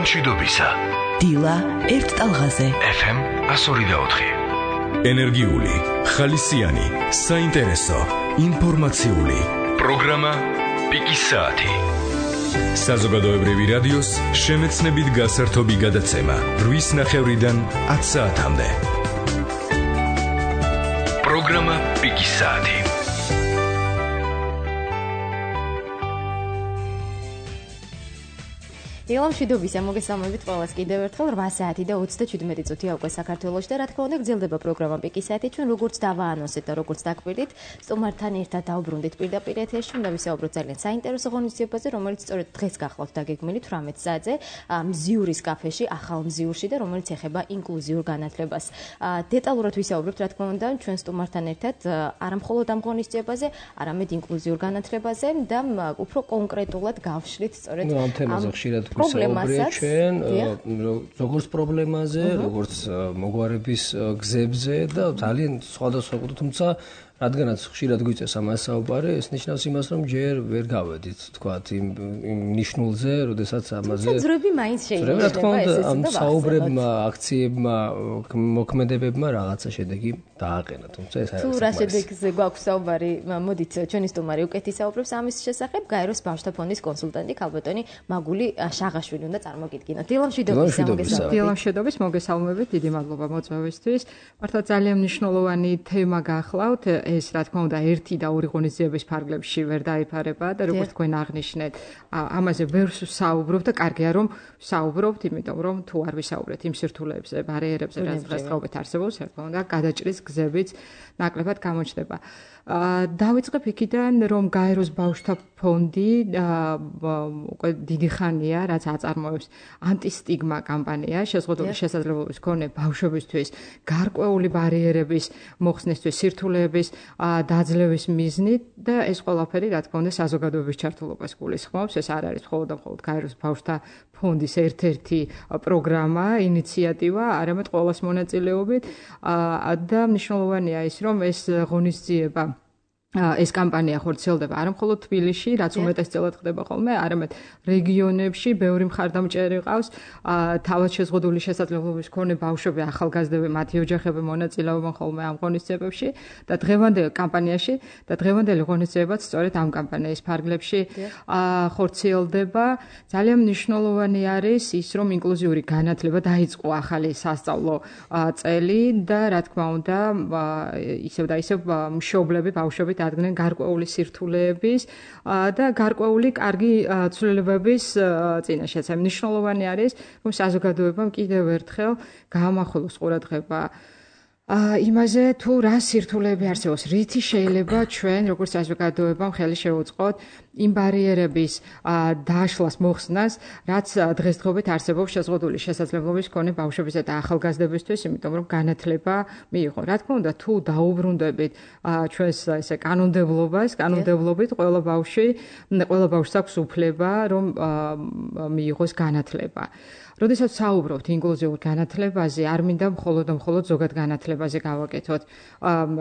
მშვიდობისა. დილა ერთ ტალღაზე. FM 102.4. ენერგიული, ხალისიანი, საინტერესო, ინფორმაციული. პროგრამა პიკის საათი. საზოგადოებრივი რადიოს შემეცნებით გასართობი გადაცემა 8:30-დან 10 საათამდე. პროგრამა პიკის საათი. დილა მშვიდობისა, მოგესალმებით ყველას კიდევ ერთხელ 8 საათი და 37 წუთია უკვე საქართველოში და რა თქმა უნდა გრძელდება პროგრამა პიკის საათი. ჩვენ როგორც დავაანონსეთ და როგორც დაგვირდით, სტუმართან ერთად დავბრუნდით პირდაპირ ეთერში და ვისაუბროთ ძალიან საინტერესო ღონისძიებაზე, რომელიც სწორედ დღეს გახლავთ დაგეგმილი 18 საათზე მზიურის კაფეში, ახალ მზიურში და რომელიც ეხება ინკლუზიურ განათლებას. დეტალურად ვისაუბრებთ რა თქმა უნდა ჩვენ სტუმართან ერთად არა მხოლოდ ამ ღონისძიებაზე, არამედ ინკლუზიურ განათლებაზე და უფრო კონკრეტულად გავშლით სწორედ ამ თემაზე ხშირად ვისაუბრეთ ჩვენ როგორც პრობლემაზე, როგორც მოგვარების გზებზე და ძალიან სხვადასხვა, თუმცა რადგანაც ხშირად გვიწევს ამას საუბარი, ეს ნიშნავს იმას, რომ ჯერ ვერ გავედით, თქვათ, იმ ნიშნულზე, როდესაც ამაზე ძრები მაინც შეიძლება რა თქმა უნდა, ამ საუბრებმა, აქციებმა, მოქმედებებმა რაღაცა შედეგი დააყენა, თუმცა ეს არის თუ რა შედეგზე გვაქვს საუბარი, მოდით ჩვენი სტუმარი უკეთ ისაუბრებს ამის შესახებ, გაეროს ბავშვთა ფონდის კონსულტანტი ქალბატონი მაგული შაღაშვილი უნდა წარმოგიდგინოთ. დილა მშვიდობისა, მოგესალმებით. დილა მშვიდობის, მოგესალმებით, დიდი მადლობა მოწვევისთვის. მართლა ძალიან მნიშვნელოვანი თემა გახლავთ. ეს რა თქმა უნდა ერთი და ორი ღონისძიების ფარგლებში ვერ დაიფარება და როგორც თქვენ აღნიშნეთ, ამაზე ვერ საუბრობთ და კარგია რომ საუბრობთ, იმიტომ რომ თუ არ ვისაუბრეთ იმ სირთულეებზე, ბარიერებზე, რაც დღესდღეობით არსებობს, რა თქმა უნდა, გადაჭრის გზებიც ნაკლებად გამოჩნდება. დავიწყებ იქიდან, რომ გაეროს ბავშვთა ფონდი უკვე დიდი ხანია, რაც აწარმოებს ანტისტიგმა კამპანია, შეზღუდული შესაძლებლობის მქონე ბავშვებისთვის გარკვეული ბარიერების მოხსნისთვის, სირთულეების დაძლევის მიზნით და ეს ყველაფერი, რა თქმა უნდა, საზოგადოების ჩართულობას გულისხმობს. ეს არ არის მხოლოდ გაეროს ბავშვთა ფონდის ერთ-ერთი პროგრამა, ინიციატივა, არამედ ყოველას მონაწილეობით და მნიშვნელოვანია ის, რომ ეს ღონისძიება ეს კამპანია ხორციელდება არა მხოლოდ თბილისში, რაც უმეტესწილად ხდება ხოლმე, არამედ რეგიონებში, ბევრი მხარდამჭერი ყავს, თავად შეზღუდული შესაძლებლობის მქონე ბავშვები, ახალგაზრდები, მათი ოჯახები მონაწილეობენ ხოლმე ამ ღონისძიებებში და დღევანდელ კამპანიაში და დღევანდელი ღონისძიებაც სწორედ ამ კამპანიის ფარგლებში ხორციელდება. ძალიან მნიშვნელოვანი არის ის, რომ ინკლუზიური განათლება დაიწყო ახალი სასწავლო წელი და რა თქმა უნდა, ისევ და ისევ მშობლები, ბავშვები დადგნენ გარკვეული სირთულეების და გარკვეული კარგი ცვლილებების წინაშე. მნიშვნელოვანი არის, რომ საზოგადოებამ კიდევ ერთხელ გაამახვილოს ყურადღება იმაზე, თუ რა სირთულეები არსებობს, რითი შეიძლება ჩვენ, როგორც საზოგადოებამ ხელი შევუწყოთ იმ ბარიერების დაშლას, მოხსნას, რაც დღესდღეობით არსებობს შეზღუდული შესაძლებლობის მქონე ბავშვებისა და ახალგაზრდებისთვის, იმიტომ რომ განათლება მიიღო. რა თქმა უნდა, თუ დაუბრუნდებით ჩვენს ესე კანონმდებლობით ყველა ბავშვს აქვს უფლება, რომ მიიღოს განათლება. როდესაც საუბრობთ ინკლუზიურ განათლებაზე, არ მინდა მხოლოდ ზოგად განათლებაზე გავაკეთოთ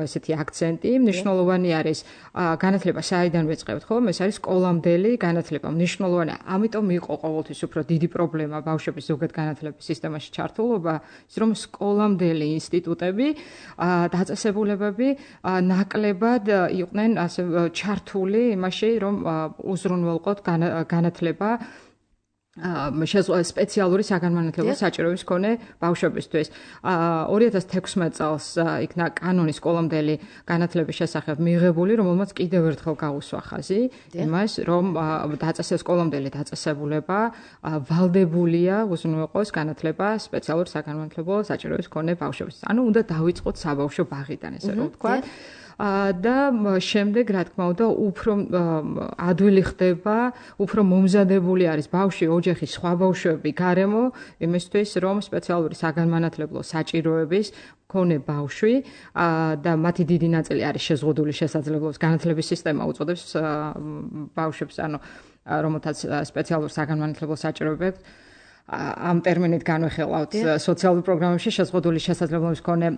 ესეთი აქცენტი. მნიშვნელოვანი არის განათლება საიდან ვეწყებთ, ხოლმე ეს არის სკოლამდელი განათლება. მნიშვნელოვანია, ამიტომ იყო ყოველთვის უფრო დიდი პრობლემა ბავშვების ზოგად განათლების სისტემაში ჩართულობა, ის რომ სკოლამდელი ინსტიტუტები, დაწესებულებები ნაკლებად იყვნენ ასე ჩართული იმაში, რომ უზრუნველყოთ განათლება სპეციალური საგანმანათლებლო საჭიროების მქონე ბავშვებისთვის. 2016 წელს იქნა კანონი სკოლამდელი განათლების შესახებ მიღებული, რომელმაც კიდევ ერთხელ გაუსვა ხაზი იმას, რომ სკოლამდელი დაწესებულება ვალდებულია უზრუნველყოს განათლება სპეციალურ საგანმანათლებლო საჭიროების მქონე ბავშვებისთვის. ანუ უნდა დავიწყოთ საბავშვო ბაღიდან, ესე რომ ვთქვათ. და შემდეგ, რა თქმა უნდა, უფრო ადვილი ხდება, უფრო მომზადებული არის ბავშვი, ოჯახი, სხვა ბავშვები გარემო იმისთვის, რომ სპეციალური საგანმანათლებლო საჭიროების მქონე ბავშვი და მათი დიდი ნაწილი არის შეზღუდული შესაძლებლობის განათლების სისტემა უწოდებს ბავშვებს, ანუ რომელთაც სპეციალურ საგანმანათლებლო საჭიროებებს ამ ტერმინით განვიხილავთ სოციალურ პროგრამებში შეზღუდული შესაძლებლობის მქონე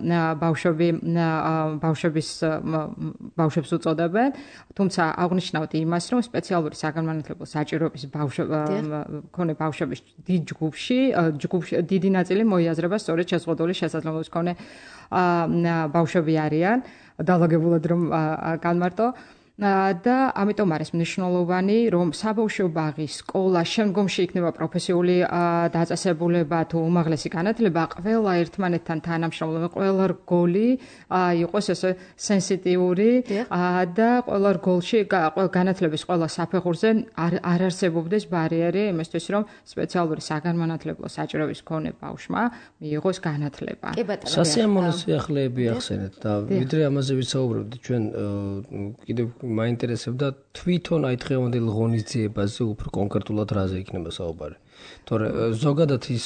ბავშვებს უწოდებენ, თუმცა აღნიშნავთ იმას, რომ სპეციალური საგანმანათლებლო საჭიროების მქონე ბავშვების დიდი ნაწილი მოიაზრება სწორედ შეზღუდული შესაძლებლობის მქონე ბავშვები არიან, დაალაგებულად რომ განმარტო. და ამიტომ არის მნიშვნელოვანი, რომ საბავშვო ბაღის სკოლა შემდგომში იქნება პროფესიული დაწესებულება თუ უმაღლესი განათლება, ყველა ერთმანეთთან თანამშრომლობა, ყველა რგოლი იყოს ესე სენსიტიური და ყველა რგოლში განათლების ყველა საფეხურზე არ არსებობდეს ბარიერი იმისთვის, რომ სპეციალური საგანმანათლებლო საჭიროების მქონე ბავშვმა მიიღოს განათლება. სასიამოვნო სიახლეები ახსენეთ და ვიდრე ამაზე ვისაუბრებთ, ჩვენ კიდევ მაინტერესებდა თვითონ აი დღევანდელ ღონისძიებაზე უფრო კონკრეტულად რაზე იქნება საუბარი. თორე ზოგადად ის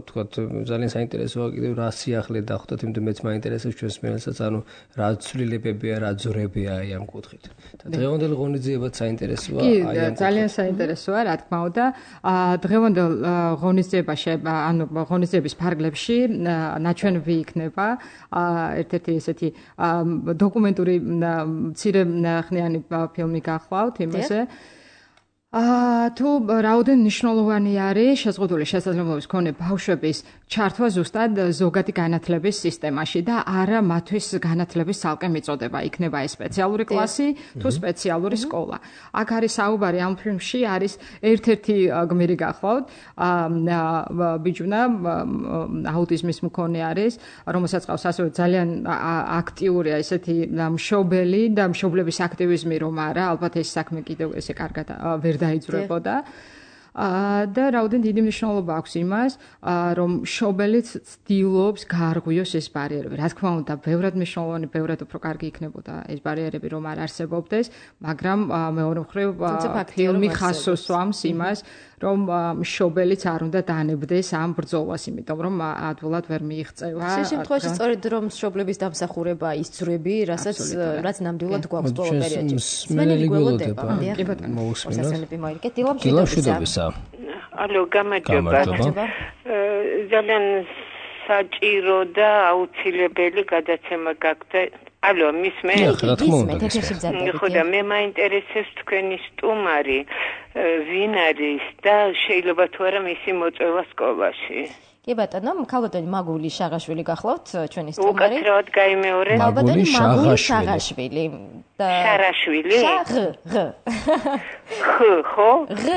თქვათ ძალიან საინტერესოა კიდევ რა სიახლე დახვდათ, იმიტომ მეც მაინტერესებს ჩვენს მენელსაც, ანუ რა ცვლილებებია, რა ძრებია აი ამ კუთხით. და დღევანდელ ღონისძიებაც საინტერესოა აი ამ კუთხით. ძალიან საინტერესოა, რა თქმა უნდა. დღევანდელ ღონისძიებაში, ანუ ღონისძიების ფარგლებში ნაჩვენები იქნება ერთ-ერთი ესეთი დოკუმენტური მცირე ხნიანი ფილმი გახლავთ იმაზე. თუ რაოდენ მნიშვნელოვანი არის შეზღუდული შესაძლებლობის მქონე ბავშვების ჩართვა ზუსტად ზოგადი განათლების სისტემაში და არა მათთვის განათლების ცალკე მიწოდება, იქნება ეს სპეციალური კლასი თუ სპეციალური სკოლა. აქ არის საუბარი ამ ფილმში არის ერთ-ერთი გმირი გახლავთ, ბიჭუნა აუტიზმის მქონე არის, რომელსაც ყავს ასევე ძალიან აქტიურია ესეთი მშობელი და მშობლების აქტივიზმი რომ არა, ალბათ ეს საქმე კიდევ ესე კარგად ვერ დაიძვრებოდა და რაოდენ დიდი მნიშვნელობა აქვს იმას, რომ მშობელიც ცდილობს გაარღვიოს ეს ბარიერები. რა თქმა უნდა, ბევრად მნიშვნელოვანი, ბევრად უფრო კარგი იქნებოდა ეს ბარიერები რომ არ არსებობდეს, მაგრამ მეორე მხრივ ფილმი ხაზს უსვამს იმას, რომ მშობელიც არ უნდა დანებდეს ამ ბრძოლას, იმიტომ რომ ადვილად ვერ მიიღწევა. ამ შემთხვევაში სწორედ რომ მშობლების დამსახურება ის ძრები, რაც ნამდვილად გვაქვს ბოლო პერიოდში. სმენელი გველოდება. მოიგეთ, ალო, გამარჯობა. ძალიან საჭირო და აუცილებელი გადაცემა გაქვთ. ალო, მისმენ? ხო და მე მაინტერესებს თქვენი სტუმარი ვინ არის და შეიძლება თუ არა მისი მოწვევა სკოლაში. კი ბატონო, ქალბატონი მაგული შაღაშვილი გახლავთ ჩვენი სტუმარი. უკაცრავად გაიმეორეთ. ქალბატონი მაგული შაღაშვილი. შარაშვილი? ხო?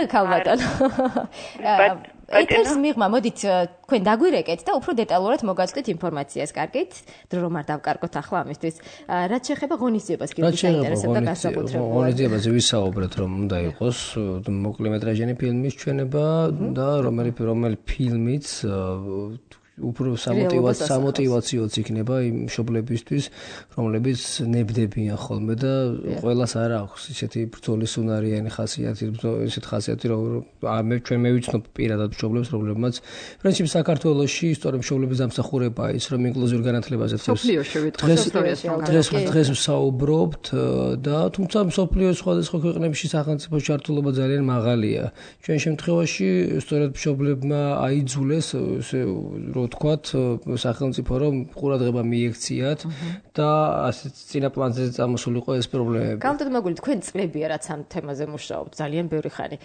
ქალბატონო. ეთერს მიღმა, მოდით თქვენ დაგვირეკეთ და უფრო დეტალურად მოგაწვდით ინფორმაციას, კარგით? დრო რომ არ დავკარგოთ ახლა ამისთვის. რაც შეეხება ღონისძიებას, კიდევ საინტერესებდა განსაკუთრებულად. ღონისძიებაზე ვისაუბრეთ, რომ უნდა იყოს მოკლემეტრაჟიანი ფილმის ჩვენება და რომელი ფილმიც უფრო სამოტივაციოც იქნება იმ მშობლებისთვის, რომლებიც ნებდებიან ხოლმე და ყველას არ აქვს ისეთი ბრძოლის უნარიანი ხასიათი, ისეთ ხასიათი, რომ ჩვენ მევიცნობ პირადად მშობლებს, რომლებმაც პრინციპი საქართველოში სწორედ მშობლების დამსახურებაა ის, რომ ინკლუზიურ განათლებაზე დღეს ვსაუბრობთ და თუმცა მსოფლიოს სხვადასხვა ქვეყნებში სახელმწიფო ჩართულობა ძალიან მაღალია. ჩვენ შემთხვევაში სწორედ მშობლებმა აიძულეს თქვათ სახელმწიფო რომ ყურადღება მიექციათ და ასე წინა პლანზე წამოსულიყო ეს პრობლემები. გამოდით მაგული თქვენ წლებია რაც ამ თემაზე მუშაობთ ძალიან ბევრი ხანი.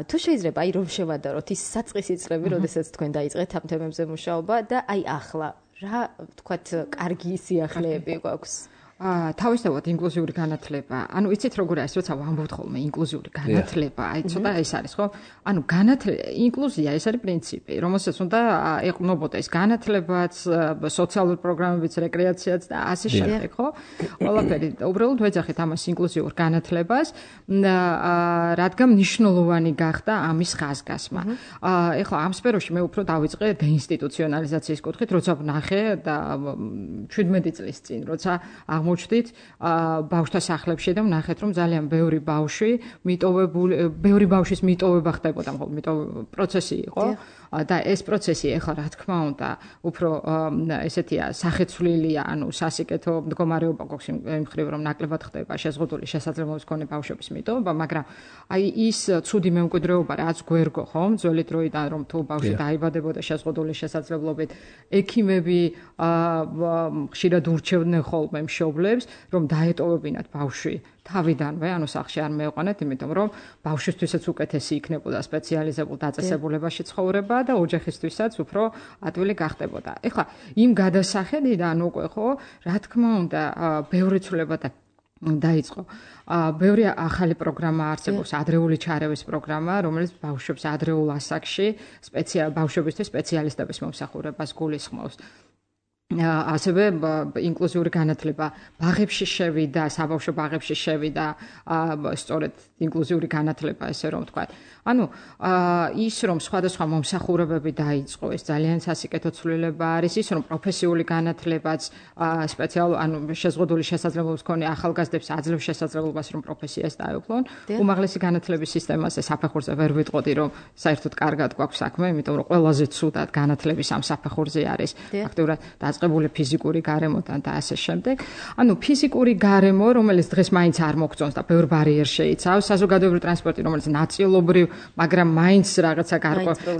თუ შეიძლება აი რომ შევადაროთ ის საწყისი წლები, როდესაც თქვენ დაიწყეთ ამ თემებზე მუშაობა და აი ახლა რა თქვათ კარგი სიახლეები გვაქვს? თავისთავად ინკლუზიური განათლება. ანუ იცით როგორ არის, როცა ვამბობთ ხოლმე ინკლუზიური განათლება, აი ცოტა ეს არის, ხო? ანუ ინკლუზია ეს არის პრინციპი, რომელსაც უნდა ეყნობოდეს განათლებაც, სოციალური პროგრამებიც, რეკრეაციაც და ასე შემდეგ, ხო? ყველაფერი. უბრალოდ ვეძახით ამას ინკლუზიურ განათლებას, რადგან მნიშვნელოვანი გახდა ამის ხაზგასმა. ეხლა ამ სფეროში მე უფრო დავიწყე დეინსტიტუციონალიზაციის კუთხით, როცა ვნახე და 17 წლის წინ, როცა აღმოჩნდით ბავშვთა სახლებში და ვნახეთ, რომ ძალიან ბევრი ბავშვის მიტოვება ხდებოდა, მხოლოდ პროცესი იყო. და ეს პროცესი ეხლა რა თქმა უნდა უფრო ესეთია სახეცვლილია, ანუ სასიკეთო მდგომარეობა გვაქვს იმ მხრივ რომ ნაკლებად ხდება შეზღუდული შესაძლებლობის მქონე ბავშვების მიტოვება, მაგრამ აი ის ცუდი მემკვიდრეობა რაც გვერგო ხომ ძველი დროიდან რომ თუ ბავშვი დაიბადებოდა შეზღუდული შესაძლებლობით, ექიმები ხშირად ურჩევდნენ ხოლმე მშობლებს რომ დაეტოვებინათ ბავშვი თავიდანვე, ანუ სახლში არ მეეყვანეთ, იმიტომ რომ ბავშვისთვისაც უკეთესი იქნებოდა სპეციალიზებულ დაწესებულებაში ცხოვრება და ოჯახისთვისაც უფრო ადვილი გახდებოდა. ეხლა იმ გადასახედიდან უკვე ხო, რა თქმა უნდა, ბევრი ცვლილება დაიწყო. ბევრი ახალი პროგრამა არსებობს, ადრეული ჩარევის პროგრამა, რომელიც ბავშვებს ადრეულ ასაკში ბავშვებისთვის სპეციალისტების მომსახურებას გულისხმობს. ასევე ინკლუზიური განათლება ბაღებში შევიდა, საბავშვო ბაღებში შევიდა, სწორედ ინკლუზიური განათლება, ესე რომ ვთქვათ. ანუ ის რომ სხვადასხვა მომსახურებები დაიწყო, ეს ძალიან სასიკეთო ცვლილება არის, ის რომ პროფესიული განათლებაც ანუ შეზღუდული შესაძლებლობის მქონე ახალგაზრდებს აძლევს შესაძლებლობას რომ პროფესიას დაეუფლონ. უმაღლესი განათლების სისტემაზე საფეხურზე ვერ ვიტყოდი, რომ საერთოდ კარგად გვაქვს საქმე, იმიტომ რომ ყველაზე ცუდად განათლების ამ საფეხურზე არის ფაქტობრივად დაწყებული ფიზიკური გარემოდან და ასე შემდეგ. ანუ ფიზიკური გარემო, რომელიც დღეს მაინც არ მოგწონს და ბევრ ბარიერს შეიცავს, საზოგადოებრივი ტრანსპორტი, რომელიც ნაწილობრივ, მაგრამ მაინც რაღაცა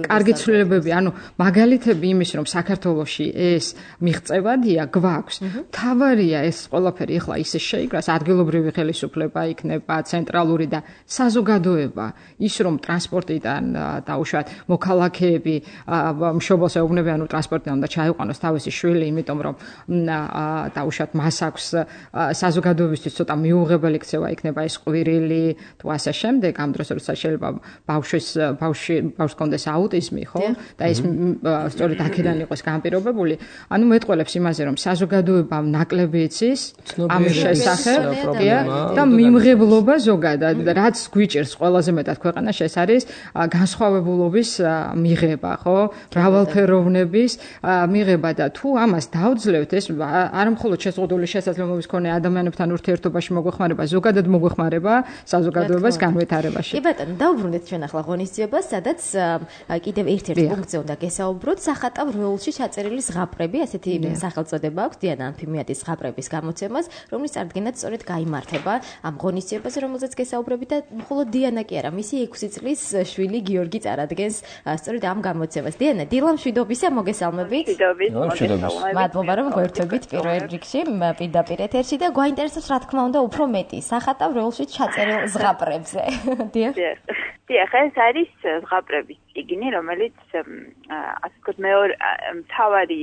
კარგი ცვლილებები, ანუ მაგალითები იმის, რომ საქართველოში ეს მიღწევადია, გვაქვს. თავარია ეს ყველაფერი ახლა ისე შეიგრას, ადგილობრივი ხელისუფლება იქნება, ცენტრალური და საზოგადოება, ის რომ ტრანსპორტიდან დაუშვათ მოქალაქეები მშობელს ეუბნებიან, ანუ ტრანსპორტიდან უნდა ჩაიყვანოს თავისი შვილი, იმიტომ რომ დაუშვათ მას აქვს საზოგადოებისთვის ცოტა მიუღებელი ქცევა იქნება ეს ყვირილი თუ ასე შემდეგ, ამ დროს როცა შეიძლება ბავშვს კონდეს აუტიზმი, ხო? და ეს სწორედ აქედან იყოს განპირობებული. ანუ მეტყველებს იმაზე, რომ საზოგადოებამ ნაკლები იცის ამ შესახებ და მიმღებლობა ზოგადად, რაც გვიჭერს ყველაზე მეტად ქვეყანაში, ეს არის განსხვავებულობის მიღება, ხო? მრავალფეროვნების მიღება და თუ ამას დავძლევთ, ეს არ მხოლოდ შეზღუდული შესაძლებლობის მქონე ადამიანებთან ურთიერთობაში მოგვეხმარება, ზოგადად მოგვეხმარება საზოგადოებას განვითარებაში. კი ბატონო, დავუბრუნდეთ ჩვენ ახლა ღონისძიებას, სადაც კიდევ ერთ-ერთ პუნქტზე უნდა გესაუბროთ, სახატავ როულში ჩაწერილი ზღაპრები, ასეთი სახელწოდება აქვს დიანა ანფიმიადის ზღაპრების გამოცემას, რომლის წარდგენაც სწორედ გაიმართება ამ ღონისძიებაზე, რომელზეც გესაუბრებით და მხოლოდ დიანა კი არა, მისი 6 წლის შვილი გიორგი წარადგენს სწორედ ამ გამოცემას. დიანა, დილამშვიდობისა, მოგესალმებით. მადლობა რომ გვერდებით პირველ რიგში პირდაპირ ეთერში და გვაინტერესებს რა თქმა უნდა უფრო მეტი სახატავ როულში ჩაწერილ ზღაპრებზე. დიახ. დიახ, ეს არის ზღაპრების წიგნი, რომელიც ასე ვთქვათ მეორე თავარი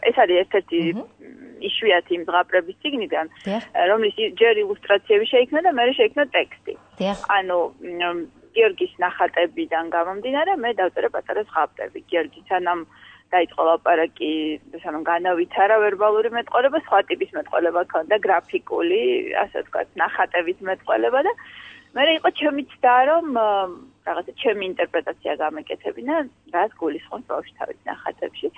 ეს არის ერთ-ერთი იშვიათი იმ ზღაპრების წიგნიდან, რომლის ჯერ ილუსტრაციები შეიქმნა და მერე შეიქმნა ტექსტი. ანუ გიორგის ნახატებიდან გამომდინარე, მე დავწერე პატარა ზღაპრები. გიორგი სანამ დაიწყო ლაპარაკი, სანამ განავითარა ვერბალური მეტყველება, სხვა ტიპის მეტყველება ქონდა, გრაფიკული, ასე ვთქვათ, ნახატების მეტყველება და მე იყო ჩემი ცდა, რომ რაღაცა ჩემი ინტერპრეტაცია გამეკეთებინა, რაც გულისხმობს ბავშვი თავის ნახატებში.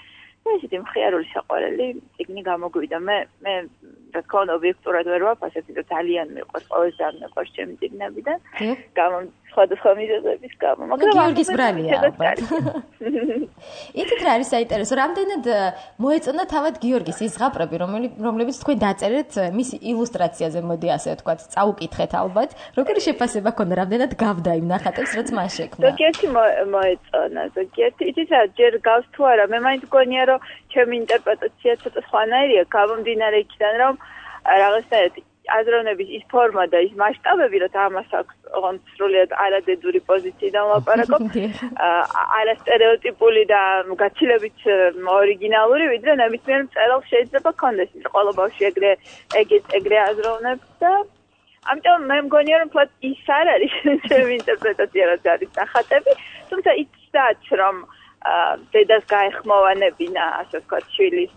და ესეთი მხიარული საყვარელი წიგნი გამოგვივიდა. მე რა თქმა უნდა ობიექტურად ვერ ვაფასებ, იმიტომ ძალიან მიყვარს, ყველაზე ძალიან მიყვარს ჩემი წიგნებიდან. სხვადასხვა მიზეზების გამო, მაგრამ გიორგის ბრალია ალბათ. ითით რა არის საინტერესო, რამდენად მოეწონა თავად გიორგის ის ზღაპრები, რომლებიც თქვენ დაწერეთ მისი ილუსტრაციაზე, მოდი ასე ვთქვათ, წაუკითხეთ ალბათ, როგორი შეფასება ქონდა, რამდენად გავდა იმ ნახატებს, რაც მან შექმნა. ზოგიერთი მოეწონა, ზოგიერთი იცით რა, ჯერ გავს თუ არა, მე მაინც მგონია, რომ ჩემი ინტერპრეტაცია ცოტა სხვანაირია, გამომდინარე იქიდან, რომ რაღაცნაირად აზროვნების ის ფორმა და ის მასშტაბები, რომ ამას აქვს ოღონდ სრულიად არადედური პოზიციიდან ლაპარაკობ, არასტერეოტიპული და გაცილებით ორიგინალური, ვიდრე ნებისმიერ მწერალს შეიძლება ქონდეს, ყველა ბავშვი ეგრე აზროვნებს და ამიტომ მე მგონია, რომ თვათ ის არ არის ჩემი ინტერპრეტაცია, რაც არის ნახატები, თუმცა იცდაც, რომ დედას გაეხმოვანებინა, ასე ვთქვათ, შვილის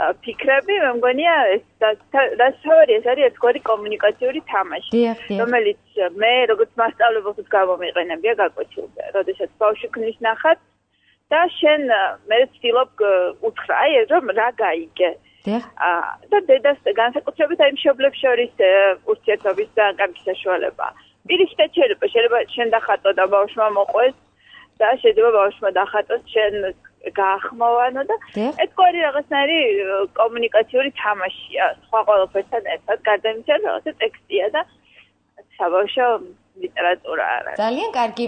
ფიქრები, მე მგონია ეს თავარი ეს არის ერთგვარი კომუნიკაციური თამაში, რომელიც მე როგორც მასწავლებელს გამომიყენებია გაკვეთილზე, როდესაც ბავშვი ქმნის ნახატს და შენ მე ვცდილობ უთხრა, რომ რა გაიგე. და დედას განსაკუთრებით აი მშობლებს შორის ურთიერთობის ძალიან კარგი საშუალება. პირიქით შეიძლება შენ დახატო და ბავშვმა მოყვეს და შეიძლება ბავშვმა დახატოს შენ გაახმოვანო და ეს ყოველი რაღაცნაირი კომუნიკაციური თამაშია სხვა ყველაფერთან ერთად გარდა იმისა რომ რაღაცა ტექსტია და საბავშვო ლიტერატურა არა. ძალიან კარგი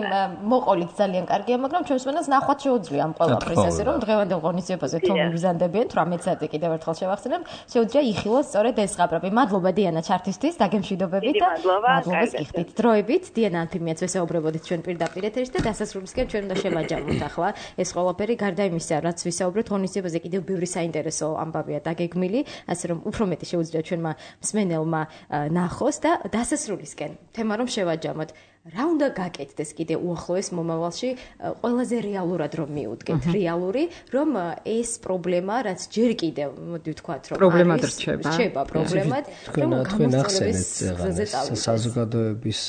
მოყოლით ძალიან კარგია, მაგრამ ჩვენს მენას ნახვაც შეუძლია ამ ყველაფრის ასე რომ დღევანდელ ღონისძიებაზე თუ მიბრძანდებიან 18 საათი კიდევ ერთხელ შევახსენებ, შეუძლია იხილოს სწორედ ეს ზღაპრები. მადლობა დიანა ჩართისთვის, დაგემშვიდობებით და მადლობას გიხდით. დროებით დიანა ანთიმიაც ვესაუბრებოდით ჩვენ პირდაპირ ეთერში და დასასრულისკენ ჩვენ უნდა შევაჯამოთ ახლა ეს ყველაფერი გარდა იმისა, რაც ვისაუბრეთ ღონისძიებაზე კიდევ ბევრი საინტერესო ამბავია დაგეგმილი, ასე რომ უფრო მეტი შეუძლია ჩვენმა მსმენელმა ნახოს და დასასრულისკენ თემა რომ შევაჯამოთ. რა უნდა გაკეთდეს კიდე უახლოეს მომავალში ყველაზე რეალურად რომ მიუდგეთ რეალური რომ ეს პრობლემა რაც ჯერ კიდევ მოდი ვთქვათ რომ პრობლემად რჩება პრობლემად თქვენ ახსენეთ საზოგადოების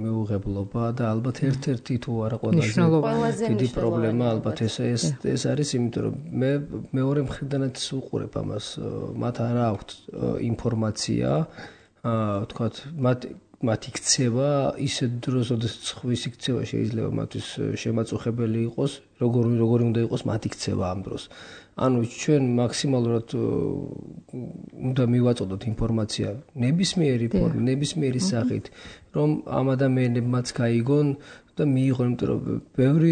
მიუღებლობა და ალბათ ერთ-ერთი თუ არა ყველაზე დიდი პრობლემა ალბათ ეს არის იმიტომ რომ მე მეორე მხრიდანაც უყურებ ამას მათ არა აქვთ ინფორმაცია ვთქვათ მათ იქცევა ისეთ დროს, როდესაც ხვის იქცევა შეიძლება მათთვის შემაწუხებელი იყოს, როგორი უნდა იყოს მათ იქცევა ამ დროს. ანუ ჩვენ მაქსიმალურად უნდა მივაწოდოთ ინფორმაცია ნებისმიერი სახით, რომ ამ ადამიანებმაც გაიგონ და მიიღონ, იმიტომ რომ ბევრი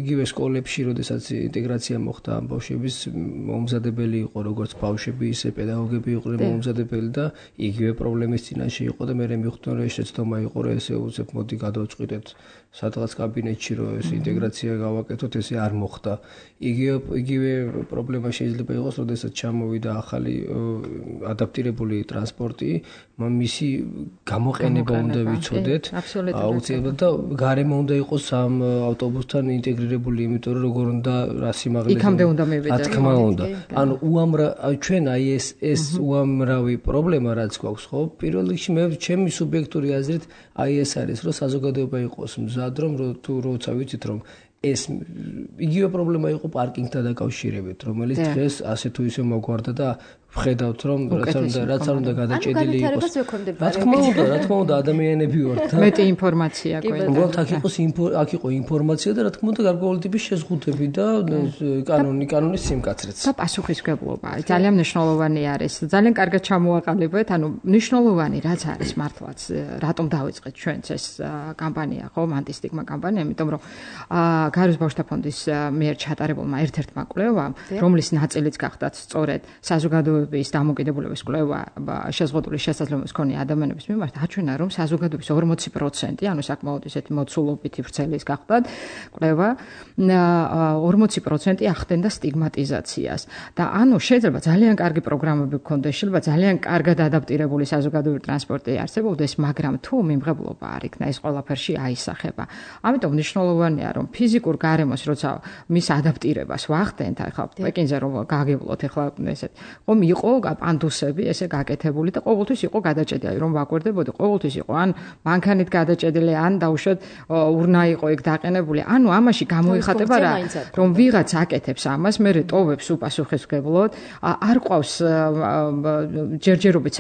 იგივე სკოლებში, როდესაც ინტეგრაცია მოხდა ამ ბავშვების მომზადებელი იყო, როგორც ბავშვები, ისე პედაგოგები იყვნენ მომზადებელი და იგივე პრობლემის წინაშე იყო და მე მიხვდნენ, რომ ეს შეცდომა იყო, რომ ესე უცებ მოდი გადავწყვიტეთ სადღაც კაბინეტში, რომ ეს ინტეგრაცია გავაკეთოთ, ესე არ მოხდა. იგივე პრობლემა შეიძლება იყოს, როდესაც ჩამოვიდა ახალი ადაპტირებული ტრანსპორტი, მისი გამოყენება უნდა ვიცოდეთ. აუცილებლად და გარემო უნდა იყოს ამ ავტობუსთან ინტეგრირებული, იმიტომ რომ როგორ უნდა რა სიმაღლეზე იქამდე უნდა მივიდეთ. რა თქმა უნდა. ანუ ჩვენ აი ეს უამრავი პრობლემა რაც გვაქვს, ხო? პირველ რიგში მე ჩემი სუბიექტური აზრით აი ეს არის, რომ საზოგადოება იყოს მზად, რომ თუ როცა ვიცით რომ ეს იგივე პრობლემა იყო პარკინგთან დაკავშირებით, რომელიც დღეს ასე თუ ისე მოგვარდა და ვხედავთ რომ რაც არ უნდა გადაჭედილი იყოს. რა თქმა უნდა ადამიანები ვართ და მეტი ინფორმაცია გვექნება. უბრალოდ აქ იყო ინფორმაცია და რა თქმა უნდა გარკვეული ტიპის შეზღუდვები და კანონის სიმკაცრეც. და პასუხისმგებლობა ძალიან მნიშვნელოვანი არის. ძალიან კარგად ჩამოაყალიბეთ, ანუ მნიშვნელოვანი რაც არის მართლაც, რატომ დავიწყეთ ჩვენც ეს კამპანია, ხო, ანტისტიგმა კამპანია, იმიტომ რომ გაეროს ბავშვთა ფონდის მიერ ჩატარებულმა ერთ-ერთმა კვლევამ, რომლის ნაწილიც გახდათ სწორედ საზოგადოების დამოკიდებულების კვლევა შეზღუდული შესაძლებლობის მქონე ადამიანების მიმართ, აჩვენა რომ საზოგადოების 40%, ანუ საკმაოდ ისეთი მოცულობითი ვრცელის გახდათ კვლევა, 40% ახდენდა სტიგმატიზაციას. და ანუ შეიძლება ძალიან კარგი პროგრამები გქონდეს, შეიძლება ძალიან კარგად ადაპტირებული საზოგადოებრივი ტრანსპორტი არსებობდეს, მაგრამ თუ მიმღებლობა არ იქნა, ეს ყველაფერში აისახება. ამიტომ მნიშვნელოვანია რომ ფიზიკურ გარემოს როცა მის ადაპტირებას ვახდენთ, ახლა პეკინზე რომ გაგივლოთ, ახლა ესეთ ხომ იყო პანდუსები ესე გაკეთებული და ყოველთვის იყო გადაჭედილი, რომ ვაკვირდებოდი, ყოველთვის იყო ან მანქანით გადაჭედილი, ან დაუშვათ ურნა იყო ეგ დაყენებული. ანუ ამაში გამოიხატება რა, რომ ვიღაც აკეთებს ამას, მე ტოვებს უპასუხისმგებლოდ, არ ყავს ჯერჯერობით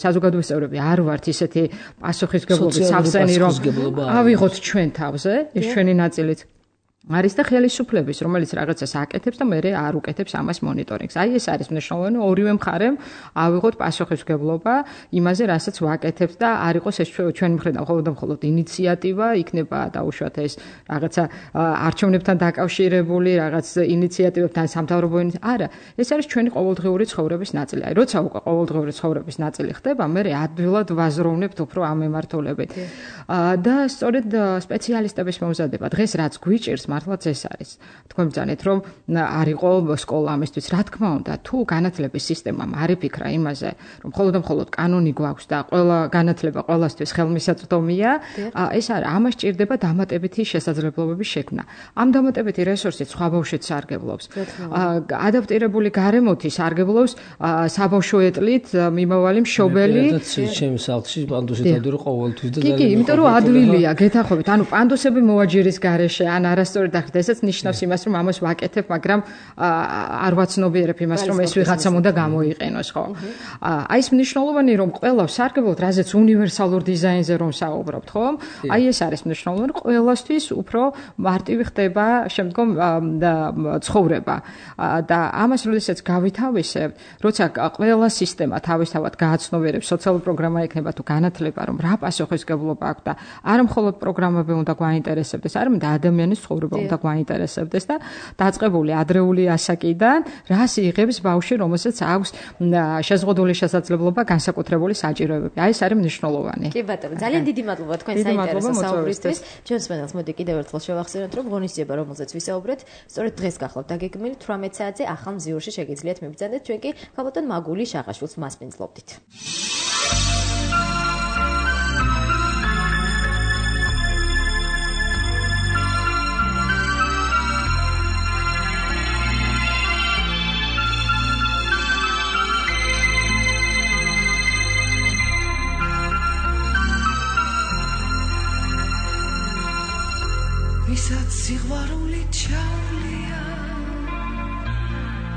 საზოგადოების წევრები არ ვართ ისეთი პასუხისმგებლობის სავსენი, რომ ავიღოთ ჩვენ თავზე, ეს ჩვენი ნაწილიც არის და ხელისუფლების, რომელიც რაღაცას აკეთებს და მე არ უკეთებს ამას მონიტორინგს. აი ეს არის მნიშვნელოვანი, ორივე მხარემ ავიღოთ პასუხისმგებლობა იმაზე, რასაც ვაკეთებთ და არ იყოს ეს ჩვენი მხრიდან მხოლოდ ინიციატივა, იქნება დაუშვათ ეს რაღაცა არჩევნებთან დაკავშირებული, რაღაც ინიციატივებთან სამთავრობო ინიციატივა. არა, ეს არის ჩვენი ყოველდღიური ცხოვრების ნაწილი. აი როცა უკვე ყოველდღიური ცხოვრების ნაწილი ხდება, მე ადვილად ვაზროვნებთ უფრო ამ მიმართულებით. და სწორედ სპეციალისტების მომზადება დღეს რაც გვიჭირს მართლაც ეს არის. თქვენ ბრძანეთ რომ არ იყო სკოლა ამისთვის, რა თქმა უნდა, თუ განათლების სისტემამ არ იფიქრა იმაზე, რომ მხოლოდ კანონი გვაქვს და ყველა განათლება ყველასთვის ხელმისაწვდომია, ეს არის, ამას ჭირდება დამატებითი შესაძლებლობების შექმნა. ამ დამატებითი რესურსით სხვა ბავშვებს სარგებლობს. ადაპტირებული გარემოთი სარგებლობს საბავშვო ეტლით მიმავალი მშობელი. ჩემს სახლში პანდუსი დავდირო ყოველთვის და კი, იმიტომ რომ ადვილია, გეთახობით, ანუ პანდუსები მოაჯირის გარეშე, ან არასწორ სწორედ ახდესაც ნიშნავს იმას, რომ ამას ვაკეთებ, მაგრამ არ ვაცნობიერებ იმას, რომ ეს ვიღაცამ უნდა გამოიყენოს, ხო? აი ეს მნიშვნელოვანი რომ ყველა სარგებლოდ, რაზეც უნივერსალურ დიზაინზე რომ საუბრობთ, ხო? აი ეს არის მნიშვნელოვანი, ყველასთვის უფრო მარტივი ხდება შემდგომ ცხოვრება. და ამას როდესაც გავითავისებთ, როცა ყველა სისტემა თავისთავად გააცნობიერებს, სოციალური პროგრამა ექნება თუ განათლება, რომ რა პასუხისმგებლობა აქვს და არა მხოლოდ პროგრამები უნდა გვაინტერესებდეს, არამედ ადამიანის ცხოვრება უნდა გვაინტერესებდეს და დაწყებული ადრეული ასაკიდან რას იღებს ბავშვი, რომელსაც აქვს შეზღუდული შესაძლებლობა განსაკუთრებული საჭიროებები. აი ეს არის მნიშვნელოვანი. კი ბატონო, ძალიან დიდი მადლობა თქვენ საინტერესო საუბრისთვის. ჩვენს პანელს მოდი კიდევ ერთხელ შევახსენოთ, რომ ღონისძიება, რომელზეც ვისაუბრეთ, სწორედ დღეს გახლავთ დაგეგმილი 18 საათზე ახალ მზიურში შეგიძლიათ მიბრძანდეთ, ჩვენ კი ქალბატონ მაგული შაღაშვილს მასპინძლობდით. ვისაც სიყვარული ჩავლია,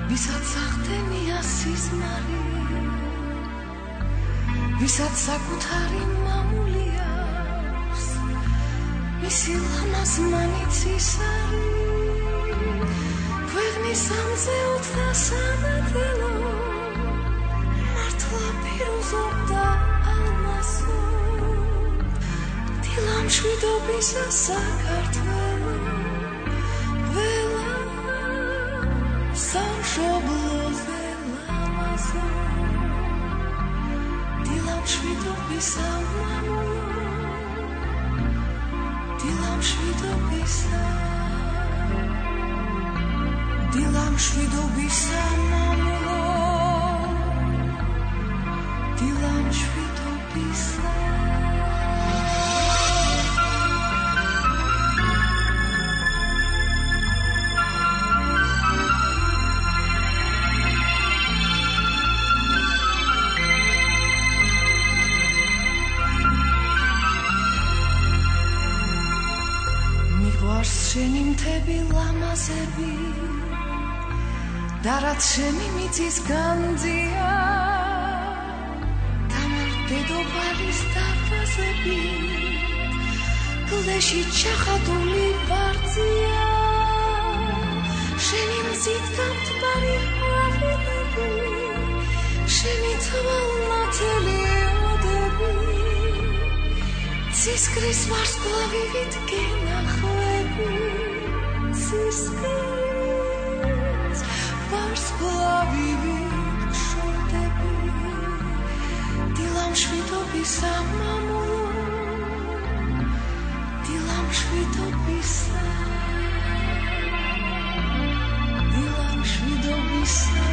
ვისაც ახდენია სიზმარი, ვისაც საკუთარი მამული აქვს, მისი ლამაზ მანიცის არის, ქვეყნის ამზე 23 მართლა პირუზობდა ალმასო, დილამ შვიდობისა საქართველო, ყველა სამშობლოზე ლამაზო, დილამ შვიდობისა მამულო, დილამ შვიდობისა, დილამ შვიდობისა მამულო, დილამ შვიდობისა. შენი მთები ლამაზები და რაც შენი მიწის განძია დამარბედობარის დარბაზები კლდეში ჩახატული ვარძია შენი მზით გამთბარი ყვავილები შენი თვალნათელი ოდები ცისკრის ვარსკვლავივით გენახლები ცისკრის ვარსკვლავივით შორდები დილამ შვიდობისა მამულო დილამ შვიდობისა დილამ შვიდობისა